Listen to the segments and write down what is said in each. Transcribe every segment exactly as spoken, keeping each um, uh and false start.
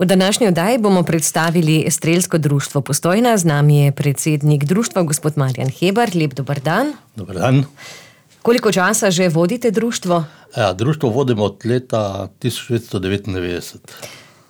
V današnji oddaji bomo predstavili Strelsko društvo Postojna. Z nami je predsednik društva, gospod Marjan Hebar. Lep dober dan. Dober dan. Koliko časa že vodite društvo? Ja, društvo vodimo od leta tisoč devetsto devetindevetdeset.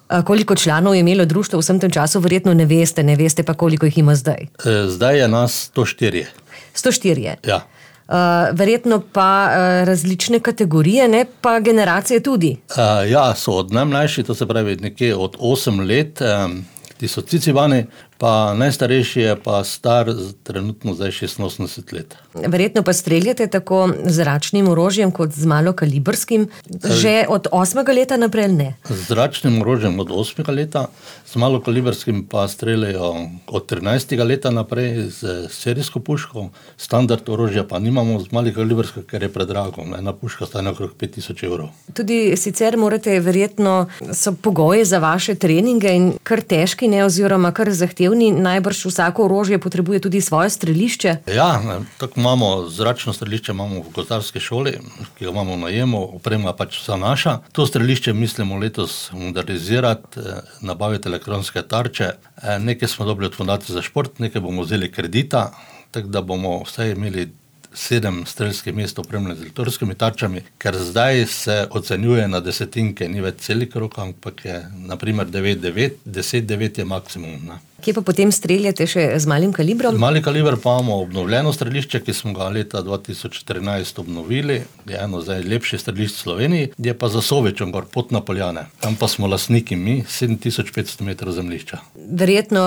A koliko članov je imelo društvo v vsem tem času? Verjetno ne veste, ne veste pa, koliko jih ima zdaj. E, zdaj je nas sto štiri. sto štiri. Ja. Uh, verjetno pa uh, različne kategorije, ne pa generacije tudi. Uh, ja, so od najmlajši, to se pravi nekje od osem let, um, ti so cicivani, pa najstarejši je pa star trenutno zdaj šestinosemdeset let. Verjetno pa streljate tako z zračnim orožjem kot z malokalibrskim, že od osmega leta naprej, ne? Z zračnim orožjem od osmega leta, z malokalibrskim pa streljajo od trinajstega leta naprej z serijsko puško, standard orožja pa nimamo z malokalibrskim, ker je predrago. Ena puška stane okrog pet tisoč evrov. Tudi sicer morate verjetno, so pogoje za vaše treninge in kar težki, ne, oziroma kar zahtevni. Najbrž vsako orožje potrebuje tudi svoje strelišče. Ja, tako imamo zračno strelišče, imamo v gozdarski šoli, ki ga imamo v najemu, oprema pač vsa naša. To strelišče mislimo letos modernizirati, nabaviti elektronske tarče. Nekaj smo dobili od Fundacije za šport, nekaj bomo vzeli kredita, tako da bomo vsaj imeli sedem strelskih mest opremljene z elektronskimi tarčami, ker zdaj se ocenjuje na desetinke, ni več celih krog, ampak je naprimer devet devet, deset devet je maksimum. Ne. Kje pa potem streljate še z malim kalibrom? Mali kaliber pa imamo obnovljeno strelišče, ki smo ga leta dva tisoč štirinajst obnovili. Je eno zdaj lepše strelišče v Sloveniji, je pa za Sovičem gor, pot na Poljane. Tam pa smo lastniki mi, sedem tisoč petsto metrov zemljišča. Verjetno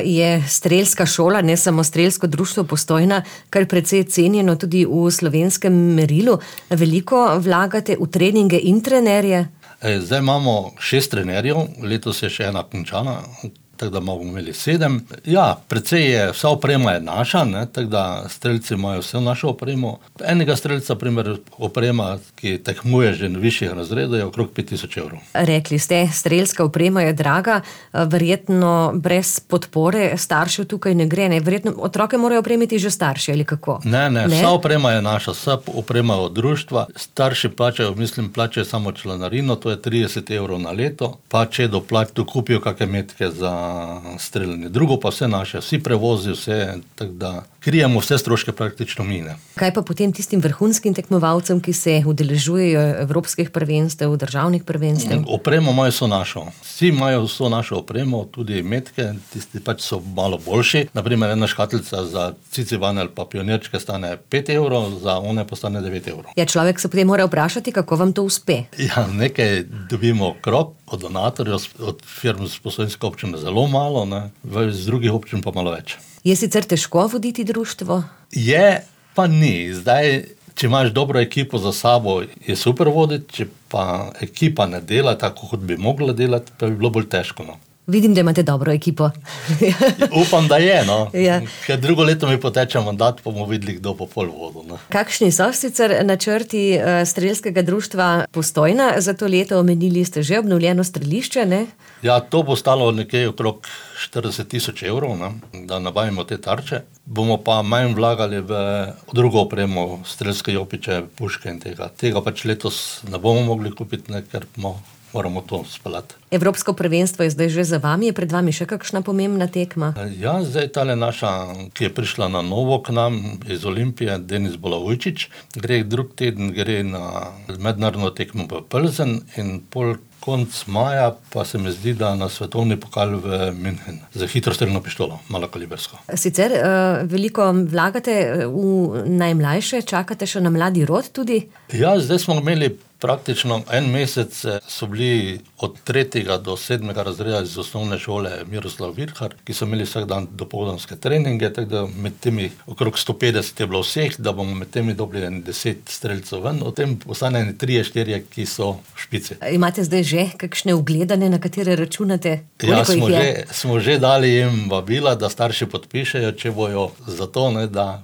je strelska šola, ne samo Strelsko društvo Postojna, kar precej cenjeno tudi v slovenskem merilu. Veliko vlagate v treninge in trenerje? Zdaj imamo šest trenerjev, letos je še ena končana, tako da bomo imeli sedem. Ja, precej je, vsa oprema je naša, ne, tako da strelci imajo vse našo opremo. Enega strelca, primer, oprema, ki tekmuje že na višjih razredov, je okrog pet tisoč evrov. Rekli ste, strelska oprema je draga, verjetno brez podpore staršev tukaj ne gre, ne? Verjetno otroke morajo opremiti že starši, ali kako? Ne, ne, ne, vsa oprema je naša, vsa oprema od društva. Starši plačajo, mislim, plačajo samo članarino, to je trideset evrov na leto, pa če doplač, dokupijo kakšne metke za streljanje. Drugo pa vse naše, vsi prevozi, vse, tako da krijemo vse stroške praktično mine. Kaj pa potem tistim vrhunskim tekmovalcem, ki se udeležujejo evropskih prvenstev, državnih prvenstev? Opremo imajo vso našo. Vsi imajo vso našo opremo, tudi metke, tisti pač so malo boljši. Naprimer, ena škatlica za cicivane ali pa pionirčke stane pet evrov, za one pa stane devet evrov. Ja, človek se potem mora vprašati, kako vam to uspe. Ja, nekaj dobimo krop od donatorjev, od firm z Postojnske občine zelo malo, ne, z drugih občin pa malo več. Je sicer težko voditi društvo? Je, pa ni. Zdaj, če imaš dobro ekipo za sabo, je super voditi, če pa ekipa ne dela tako, kot bi mogla delati, pa bi bilo bolj težko. No. Vidim, da imate dobro ekipo. Upam, da je, no. Ja. Ker drugo leto mi poteče mandat, pa bomo videli, kdo po pol vodu. No. Kakšni so sicer načrti Strelskega društva Postojna za to leto? Omenili ste že obnovljeno strelišče, ne? Ja, to bo stalo nekaj okrog štirideset tisoč evrov, ne, da nabavimo te tarče. Bomo pa manj vlagali v drugo opremo, strelske jopiče, puške in tega. Tega pač letos ne bomo mogli kupiti, ne, ker moramo to speljati. Evropsko prvenstvo je zdaj že za vami, je pred vami še kakšna pomembna tekma? Ja, zdaj tale naša, ki je prišla na novo k nam iz Olimpije, Denis Bolavujčič, gre drug teden, gre na mednarodno tekmo v Plzen in pol konc maja pa se mi zdi, da na svetovni pokal v München za hitrostrelno pištolo, malokalibersko. Sicer uh, veliko vlagate v najmlajše, čakate še na mladi rod tudi? Ja, zdaj smo imeli praktično en mesec, so bili od tretjega do sedmega razreda iz osnovne šole Miroslav Virhar, ki so imeli vsak dan dopoldanske treninge, tako da med temi okrog sto petdeset je bilo vseh, da bomo med temi dobili deset strelcev ven, o tem ostane trije, štirje, ki so v špici. Imate zdaj že kakšne ugledane, na katere računate? Ja, smo že, smo že dali jim vabila, da starši podpišejo, če bojo za to, ne, da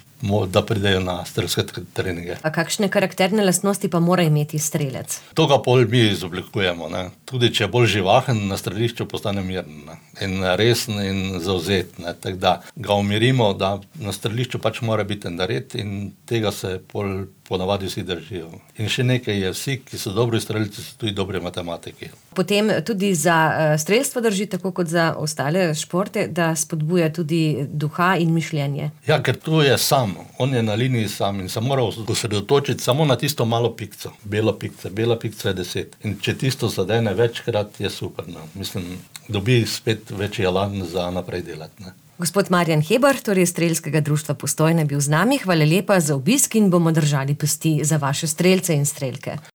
da pridejo na strelske treninge. A kakšne karakterne lastnosti pa mora imeti strelec? To ga pol mi izoblikujemo. Ne. Tudi če je bolj živahen, na strelišču postane miren, ne. In resen in zavzet. Tako da ga umirimo, da na strelišču pač mora biti nared in tega se pol ponavadi vsi držijo. In še nekaj je, vsi, ki so dobri strelci, so tudi dobri matematiki. Potem tudi za strelstvo drži, tako kot za ostale športe, da spodbuja tudi duha in mišljenje. Ja, ker tu je sam, on je na liniji sam in se mora osredotočiti samo na tisto malo pikco. Bela pikca, bela pikca je deset. In če tisto zadene večkrat, je super. No. Mislim, dobi spet večji elan za naprej delati. Ne. Gospod Marjan Hebar, torej Strelskega društva Postojna, je bil z nami. Hvala lepa za obisk in bomo držali pesti za vaše strelce in strelke.